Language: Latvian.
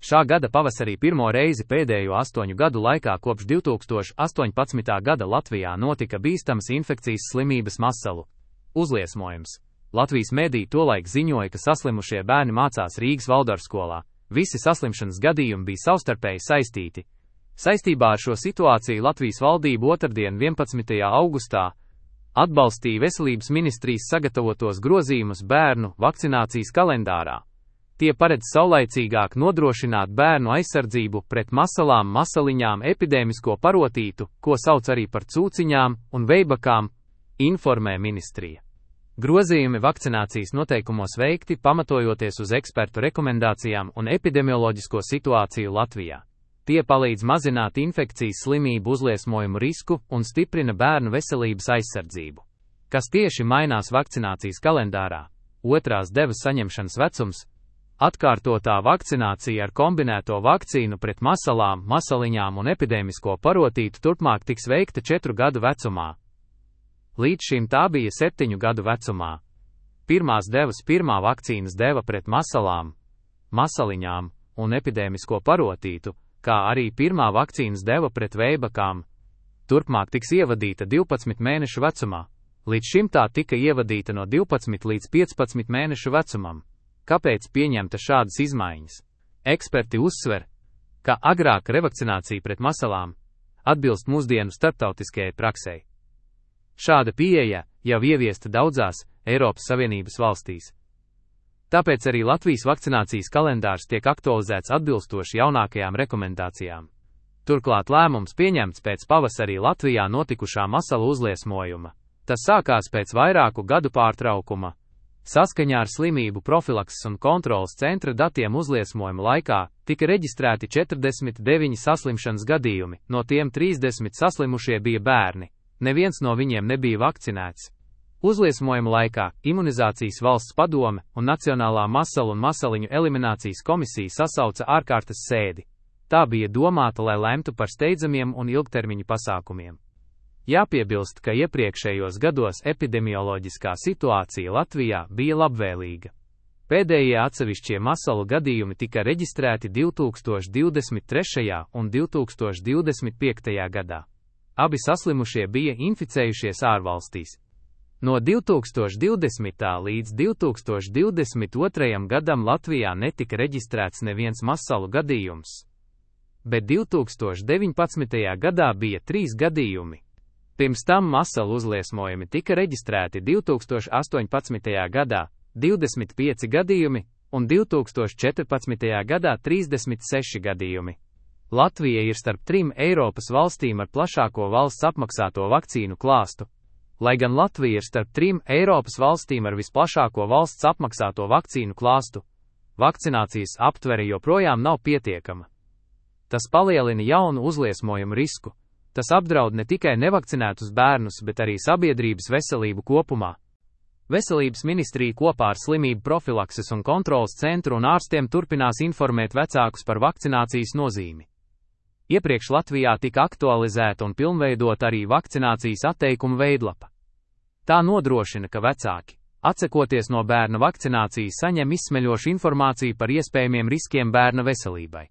Šā gada pavasarī pirmo reizi pēdējo 8 gadu laikā kopš 2018. gada Latvijā notika bīstamas infekcijas slimības masalu uzliesmojums. Latvijas mediji tolaik ziņoja, ka saslimušie bērni mācās Rīgas Valdorfskolā. Visi saslimšanas gadījumi bija savstarpēji saistīti. Saistībā ar šo situāciju Latvijas valdība otrdien 11. augustā atbalstīja Veselības ministrijas sagatavotos grozījumus bērnu vakcinācijas kalendārā. Tie paredz saulaicīgāk nodrošināt bērnu aizsardzību pret masalām, masaliņām, epidēmisko parotītu, ko sauc arī par cūciņām un veibakām, informē ministrija. Grozījumi vakcinācijas noteikumos veikti pamatojoties uz ekspertu rekomendācijām un epidemioloģisko situāciju Latvijā. Tie palīdz mazināt infekcijas slimību uzliesmojumu risku un stiprina bērnu veselības aizsardzību. Kas tieši mainās vakcinācijas kalendārā? Otrās devas saņemšanas vecums, atkārtotā vakcinācija ar kombinēto vakcīnu pret masalām, masaliņām un epidēmisko parotītu turpmāk tiks veikta 4 gadu vecumā. Līdz šim tā bija 7 gadu vecumā. Pirmās devas pirmā vakcīnas deva pret masalām, masaliņām un epidēmisko parotītu, kā arī pirmā vakcīnas deva pret veibakām, turpmāk tiks ievadīta 12 mēnešu vecumā. Līdz šim tā tika ievadīta no 12 līdz 15 mēnešu vecumam. Kāpēc pieņemta šādas izmaiņas? Eksperti uzsver, ka agrāk revakcinācija pret masalām atbilst mūsdienu starptautiskajai praksei. Šāda pieeja jau ieviesta daudzās Eiropas Savienības valstīs. Tāpēc arī Latvijas vakcinācijas kalendārs tiek aktualizēts atbilstoši jaunākajām rekomendācijām. Turklāt lēmums pieņemts pēc pavasarī Latvijā notikušā masalu uzliesmojuma. Tas sākās pēc vairāku gadu pārtraukuma. Saskaņā ar slimību profilakses un kontrolas centra datiem uzliesmojuma laikā tika reģistrēti 49 saslimšanas gadījumi, no tiem 30 saslimušie bija bērni. Neviens no viņiem nebija vakcinēts. Uzliesmojuma laikā Imunizācijas valsts padome un Nacionālā masalu un masaliņu eliminācijas komisija sasauca ārkārtas sēdi. Tā bija domāta, lai lemtu par steidzamiem un ilgtermiņu pasākumiem. Jāpiebilst, ka iepriekšējos gados epidemioloģiskā situācija Latvijā bija labvēlīga. Pēdējie atsevišķie masalu gadījumi tika reģistrēti 2023. un 2025. gadā. Abi saslimušie bija inficējušies ārvalstīs. No 2020. līdz 2022. gadam Latvijā netika reģistrēts neviens masalu gadījums, bet 2019. gadā bija 3 gadījumi. Pirms tam masalu uzliesmojumi tika reģistrēti 2018. gadā 25 gadījumi un 2014. gadā 36 gadījumi. Latvija ir starp 3 Eiropas valstīm ar plašāko valsts apmaksāto vakcīnu klāstu. Lai gan Latvija ir starp 3 Eiropas valstīm ar visplašāko valsts apmaksāto vakcīnu klāstu, vakcinācijas aptvere joprojām nav pietiekama. Tas palielina jaunu uzliesmojumu risku. Tas apdraud ne tikai nevakcinētus bērnus, bet arī sabiedrības veselību kopumā. Veselības ministrija kopā ar slimību profilakses un kontrolas centru un ārstiem turpinās informēt vecākus par vakcinācijas nozīmi. Iepriekš Latvijā tika aktualizēta un pilnveidota arī vakcinācijas atteikuma veidlapa. Tā nodrošina, ka vecāki, atsakoties no bērna vakcinācijas, saņem izsmeļošu informāciju par iespējamiem riskiem bērna veselībai.